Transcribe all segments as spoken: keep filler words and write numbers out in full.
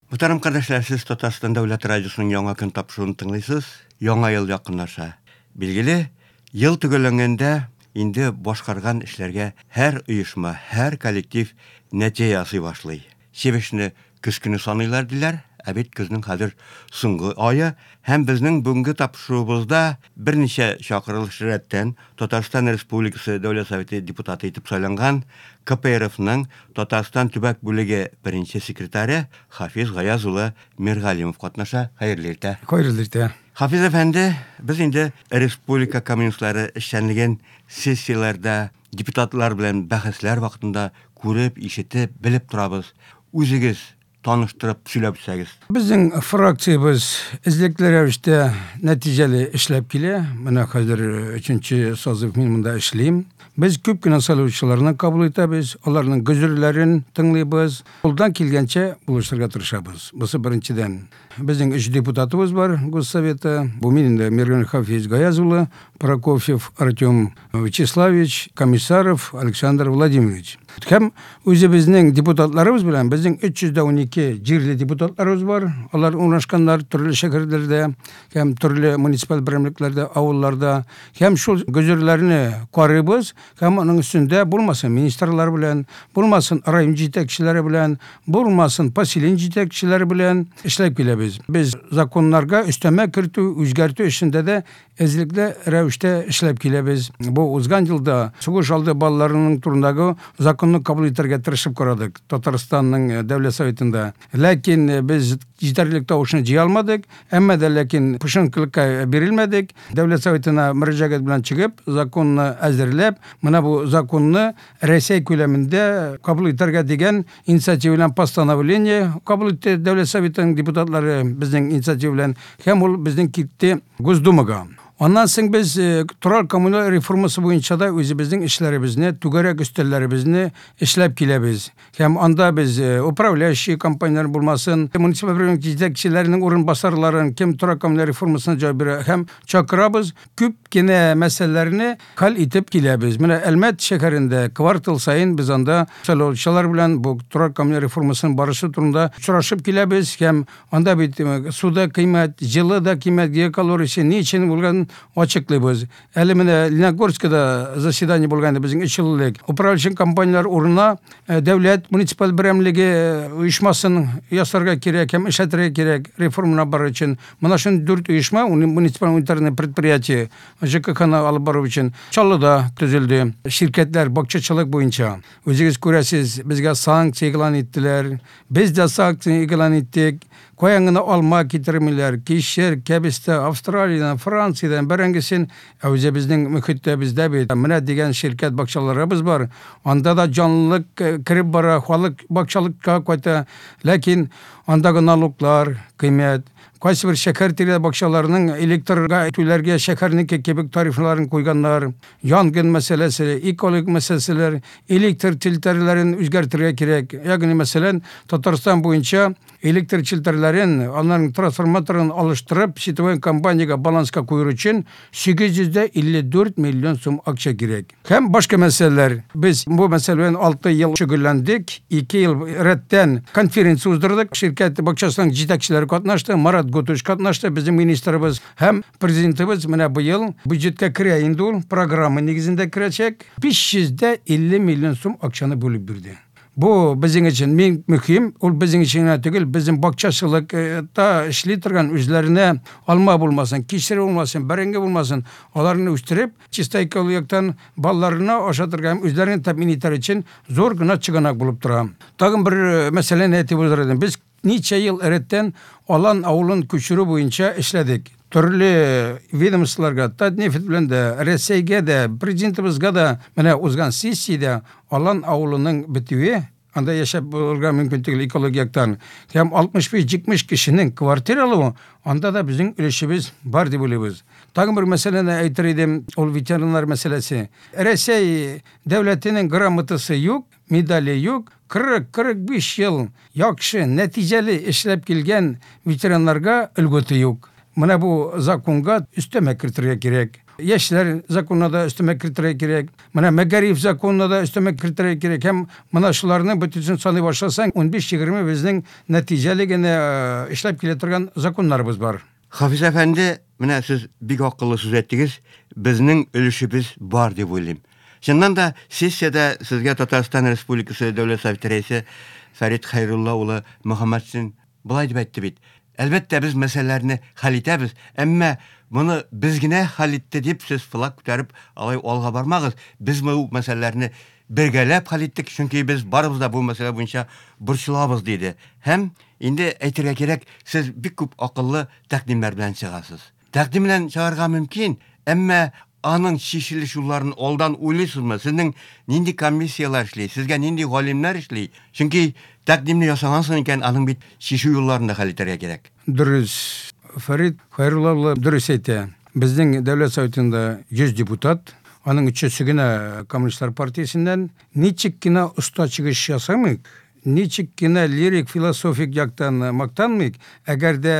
Мөхтәрәм кардәшләр, сез Татарстан Дәүләт радиосының Яңа көн тапшыруын тыңлыйсыз. Яңа ел якынлаша. Билгеле, ел төгәлләнгәндә инде башкарган эшләргә һәр оешма, һәр коллектив нәтиҗә ясый башлый. Чебешне көз көне саныйлар диләр, ә бит көзнең хәзер соңгы ае һәм безнең бүгенге тапшыруыбызда берничә чакырылыш рәттән Татарстан Республикасы Дәүләт Советы депутаты итеп сайланган КПРФның Татарстан төбәк бүлеге беренче секретаре Хафиз Гаяз улы Миргалимов катнаша. Хәерле иртә. Хәерле иртә. Хафиз әфәнде, без инде республика коммунистлары эшчәнлеген сессияләрдә депутатлар белән бәхәсләр вакытында күреп, ишетеп, белеп торабыз. Үзегез таныштырып сөйләп үтсәгез. Безнең фракциябез эзлекле рәвештә нәтиҗәле эшләп килә. Менә хәзер өченче созыв мин монда эшлим. Без күп кенә сайлаучыларны кабул итәбез, аларның гозерләрен тыңлыйбыз. Кулдан килгәнчә булышырга тырышабыз. Бусы беренчедән. Безнең өч депутатыбыз бар Госсовета. Бу мин инде Мирган Хафиз Гаяз улы, Прокофьев Артем Вячеславович, Комиссаров Александр Владимирович. Һәм үзебезнең депутатларыбыз белән безнең өч йөз дә унике җирле депутатларыбыз бар. Алар урнашканнар төрле шәһәрләрдә һәм төрле муниципаль берәмлекләрдә, авылларда. Һәм шул гозерләрне карыйбыз һәм аның өстендә булмасын министрлар белән, булмасын район җитәкчеләре белән, булмасын поселение җитәкчеләре белән эшләп киләбез. Без законнарга өстәмә кертү, үзгәртү эшендә дә эзлекле рәвештә эшләп киләбез. Бу узган елда сугыш алды балаларының турындагы законны кабул итәргә тырышып карадык Татарстанның Дәүләт Советында. Ләкин без җитәрлек тавышны җыя алмадык, әмма дә ләкин пошынкылыкка бирелмәдек. Дәүләт Советына мөрәҗәгать белән чыгып, законны әзерләп, менә бу законны Рәсәй күләмендә кабул итәргә дигән инициатива белән постановление кабул итте Дәүләт Советының депутатлары безнең инициатива белән, һәм ул безнең китте Госдумага. Аннан соң без, э, торак коммуналь реформасы буенча да үзебезнең эшләребезне, түгәрәк өстәлләребезне эшләп киләбез. Һәм анда без, э, управляющий компанияләр булмасын, муниципаль берәмлек җитәкчеләренең урынбасарларын, кем торак коммуналь реформасына җавап бирә һәм чакырабыз, күп кенә мәсьәләләрне хәл итеп киләбез. Менә Әлмәт шәһәрендә квартал саен без анда сайлаучылар белән бу торак коммуналь реформасының барышы турында очрашып киләбез һәм анда бит, э, су да кыйммәт, җылы да кыйммәт, геокалориясе ни өчен булганын ачыклыйбыз. Әле менә Лениногорскида заседание булган иде безнең өч ел элек. Управляющий компанияләр урынына, э, дәүләт муниципаль берәмлеге, э, оешмасын ясарга кирәк һәм эшләтергә кирәк реформаны бару өчен. Менә шундый дүрт оешма, уни-, муниципаль унитарный предприятие Ж К Х-ны алып бару өчен Чаллыда төзелде. Ширкәтләр бакчачылык буенча. Үзегез күрәсез, безгә санкция игълан иттеләр. Без дә санкция игълан иттек. Каян гына алма китермиләр, кишер, кәбестә, Австралиядән, Франциядән бәрәңгесен, ә үзебезнең мөхиттә бездә бит. Менә дигән ширкәт бакчаларыбыз бар. Анда да җанлылык, э, кереп бара, халык бакчалыкка кайта. Ләкин андагы налоглар кыйммәт. Кайсы бер шәһәр тирә бакчаларының электрга түләргә шәһәрнеке кебек тарифларын куйганнар. Янгын мәсьәләсе, экологик мәсьәләләр, электр челтәрләрен үзгәртергә кирәк. Ягъни, мәсәлән, Татарстан буенча электр челтәрләрен, аларның трансформаторын алыштырып, сетевой компаниягә баланска кую өчен сигез йөз дә илле дүрт миллион сум акча кирәк. Һәм башка мәсьәләләр. Без бу мәсьәлә белән алты ел шөгыльләндек, ике ел рәттән конференция уздырдык. Ширкәт бакчасының җитәкчеләре катнашты, Марат Гутуш катнашты, безнең министрыбыз һәм президентыбыз менә быел бюджетка керә инде ул, программа нигезендә керәчәк. Биш йөз дә илле миллион сум акчаны бүлеп бирде. Бу безнең өчен мин мөһим, ул безнең өчен генә түгел, безнең бакчачылыкта эшли торган үзләренә алма булмасын, кишер булмасын, бәрәңге булмасын, аларны үстереп, чиста экологияктан балаларына ашатырга һәм үзләрен тәэмин итәр өчен зур гына чыганак булып тора. Тагын бер, э, мәсьәләне әйтеп узар идем. Без ничә ел рәттән Алан авылын күчерү буенча эшләдек. Төрле ведомстволарга, Татнефть белән дә, Рәсәйгә дә, президентыбызга да менә узган сессиядә Алан авылының бетүе, анда яшәп булырга мөмкин түгел экологияктан. Һәм алтмыш биш, җитмеш кешенең квартира алуы, анда да безнең өлешебез бар дип уйлыйбыз. Тагын бер мәсьәләне әйтер идем, ул ветераннар мәсьәләсе. Рәсәй дәүләтенең грамотасы юк, медале юк. Кырык, кырык биш ел яхшы, нәтиҗәле эшләп килгән ветераннарга льготы юк. Менә бу законга өстәмә кертергә кирәк. Яшьләр законына да өстәмә кертергә кирәк. Менә мәгариф законына да өстәмә кертергә кирәк. Һәм менә шуларны бөтенесен саный башласаң, унбиш-егерме безнең нәтиҗәле генә эшләп килә торган законнарыбыз бар. Хафиз әфәнде, менә сез бик акыллы сүз әйттегез, безнең өлешебез бар дип уйлыйм. Чыннан да сессиядә сезгә Татарстан Республикасы Дәүләт Советы рәисе Фәрит Хәйрулла улы Мөхәммәтшин болай дип әйтте бит. Әлбәттә, без мәсьәләләрне хәл итәбез, әмма моны без генә хәл итте дип сез флаг күтәреп алай алга бармагыз. Без бу мәсьәләләрне бергәләп хәл иттек, чөнки без барыбыз да бу мәсьәлә буенча борчылабыз диде. Һәм инде әйтергә кирәк, сез бик күп акыллы тәкъдимнәр белән чыгасыз. Тәкъдим белән чыгарга мөмкин, әмма аның чишелеш юлларын алдан уйлыйсызмы? Сезнең нинди комиссияләр эшли, сезгә нинди галимнәр эшли? Чөнки тәкъдимне ясагансың икән, аның бит чишү юлларын да хәл итәргә кирәк. Дөрес. Фәрит Хәйрулла улы дөрес әйтә. Безнең Дәүләт Советында йөз депутат, аның өчесе генә Коммунистлар партиясеннән. Ничек кенә оста чыгыш ясамыйк, ничек кенә лирик, философик яктан мактанмыйк, әгәр дә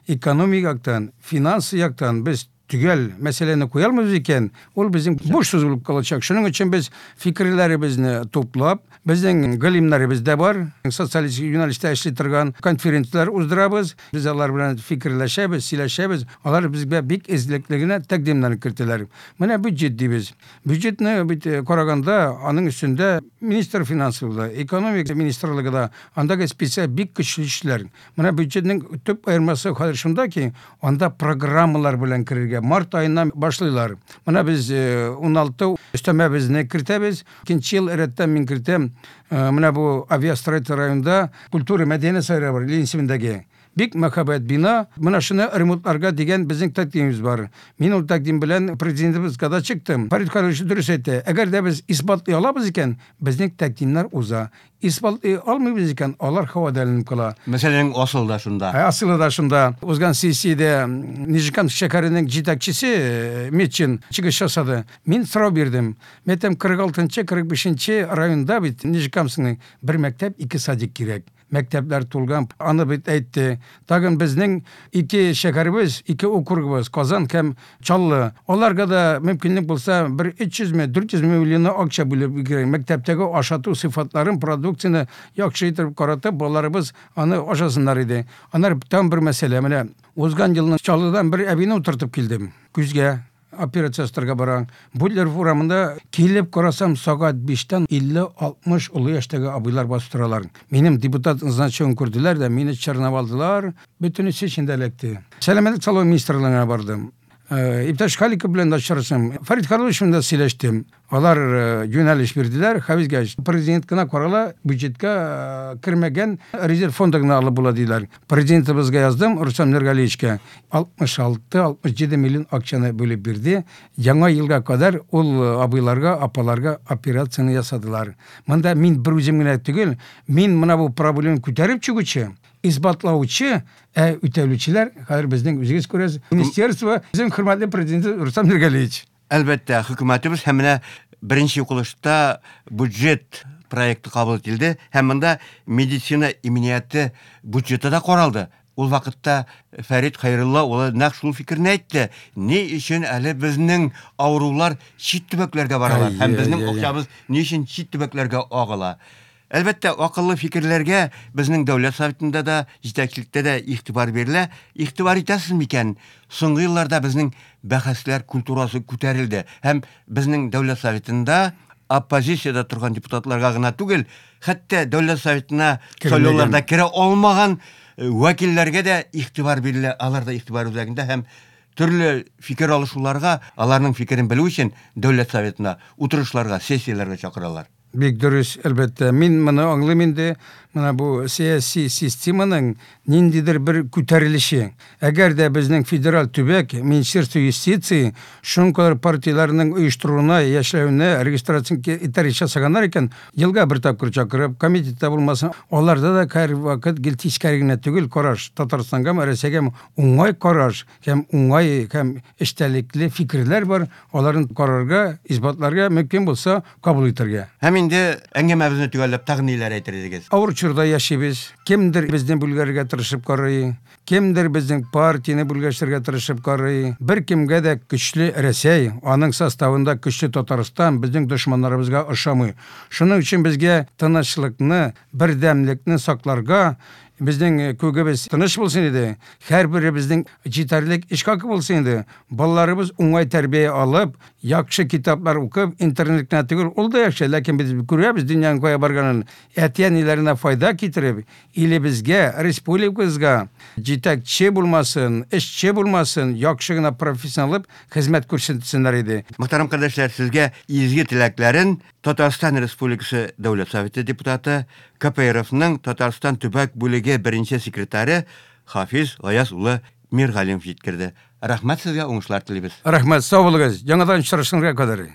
экономик яктан, финанс яктан без төгәл мәсьәләне куя алмыйбыз икән, ул безнең буш сүз булып калачак. Шуның өчен без фикерләребезне туплап, безнең галимнәребез дә бар, социалистик юнәлештә эшли торган конференцияләр уздырабыз. Без алар белән фикерләшәбез, сөйләшәбез. Алар безгә бик эзлекле генә тәкъдимнәр кертәләр. Менә бюджет дибез. Бюджетны бит караганда, аның өстендә министр финансы да, экономика министрлыгы да, андагы специаль бик көчле эшләр. Менә бюджетның төп аермасы хәзер шунда ки, анда программалар белән керергә март айыннан башлыйлар. Менә без уналты өстәмәбезне кертәбез. Икенче ел рәттән мин кертәм. Менә бу авиастроитель районында культура мәдәният сарае бар, Ленин исемендәге. Бик мәһабәт бина. Менә шуны ремонтларга дигән безнең тәкъдимебез бар. Мин ул тәкъдим белән президентыбызга да чыктым. Фәрит Хәйруллович дөрес әйтте. Әгәр дә без исбатлый алабыз икән, безнең тәкъдимнәр уза. Исбатлый алмыйбыз икән, алар һавада эленеп кала. Мәсьәләнең асылы да шунда. Асылы да шунда. Узган сессиядә Нижнекамск шәһәренең җитәкчесе Метчин чыгыш ясады. Мин сорау бирдем. Мин әйтәм, кырык алтынчы, кырык бишенче районда бит Нижнекамскның бер мәктәп, ике садик кирәк. Мәктәпләр тулган. Аны бит әйтте. Тагын безнең ике шәһәребез, ике округыбыз, Казан һәм Чаллы. Аларга да мөмкинлек булса, бер өч йөзме, дүрт йөз миллион акча бүлеп кирәк. Мәктәптәге ашату сыйфатларын, продукцияне яхшы итеп каратып, балаларыбыз аны ашасыннар иде. Аннары тагын бер мәсьәлә. Менә узган елны Чаллыдан бер әбине утыртып килдем. Күзгә операция ясатырга барам. Бутлеров урамында килеп карасам, сәгать биштән илле алтмыш олы яшьтәге абыйлар басып торалар. Минем депутат значогын күрделәр дә, мине чорнап алдылар. Бөтенесе эчендә эләкте. Сәламәтлек саклау министрлыгына бардым. Иптәш Халиков белән дә очраштым. Фәрит Хәйруллович белән дә сөйләштем. Алар юнәлеш бирделәр. Хәвизгә президент кына карала, бюджетка кермәгән резерв фонды гына алып була диләр. Президентыбызга яздым, Рустам Нургалиевичка. алтмыш алты, алтмыш җиде миллион акчаны бүлеп бирде. Яңа елга кадәр ул абыйларга, апаларга операцияне ясадылар. Монда мин бер үзем генә түгел, мин менә бу проблеманы күтәреп чыгучы, исбатлаучы, ә үтәлүчеләр хәзер безнең үзегез күрәсез. Министерство, безнең хөрмәтле президент Рустам Нургалиевич. Әлбәттә, хөкүмәтебез һәм менә беренче укылышта бюджет проекты кабул ителде һәм монда медицина иминияте бюджеты да каралды. Ул вакытта Фәрит Хәйрулла улы нәкъ шул фикерне әйтте. Ни өчен әле безнең авырулар чит төбәкләргә баралар һәм безнең акчабыз ни өчен чит төбәкләргә агыла? Әлбәттә, акыллы фикерләргә безнең Дәүләт Советында да, җитәкчелектә дә игътибар бирелә. Игътибар итәсез микән? Соңгы елларда безнең бәхәсләр культурасы күтәрелде һәм безнең Дәүләт Советында оппозициядә торган депутатларга гына түгел, хәтта Дәүләт Советына сайлауларда керә алмаган вәкилләргә дә игътибар бирелә. Алар да игътибар үзәгендә һәм төрле фикер алышуларга, аларның фикерен белү өчен Дәүләт Советына утырышларга, сессияләргә чакыралар. Бик дөрес, әлбәттә. Мин моны аңлыйм инде. Менә бу сәяси системаның ниндидер бер күтәрелеше. Әгәр дә безнең федераль төбәк, Министерство юстиции шуңкалар партияләренең оештыруына, яшәвенә регистрация итәргә ясаганнар икән, елга бер тапкыр чакырып, комитетта булмасын, аларда да һәрвакыт гел тискәре генә түгел караш, Татарстангамы, Рәсәйгәме уңай караш һәм уңай һәм эчтәлекле фикерләр бар, аларын карарга, исбатларга мөмкин булса кабул итәргә. Һәм инде әңгәмәбезне төгәлләп тагын ниләр әйтер идегез? Авыр Чорда яшибез. Кемдер безне бүлгәргә тырышып карый, кемдер безнең партияне бүлгәшергә тырышып карый. Бер кемгә дә көчле Рәсәй, аның составында көчле Татарстан безнең дошманнарыбызга ошамый. Шуның өчен безгә тынычлыкны, бердәмлекне сакларга, безнең күгебез тыныч булсын иде, һәрберебезнең җитәрлек эш хакы булсын иде. Балаларыбыз уңай тәрбия алып, яхшы китаплар укып, интернет кенә түгел, ул да яхшы, ләкин без күрәбез дөньяның кая барганын, әти-әниләренә файда китереп, илебезгә, республикабызга җитәкче булмасын, эшче булмасын, яхшы гына профессионал хезмәт күрсәтсеннәр иде. Мөхтәрәм кардәшләр, сезгә изге теләкләрен Татарстан Республикасы Дәүләт Советы депутаты, К П Р Фның Татарстан төбәк бүлеге беренче секретаре Хафиз Гаяз улы Миргалимов җиткерде. Рәхмәт сезгә, уңышлар телибез. Рәхмәт, сау булыгыз. Яңадан очрашканга кадәр.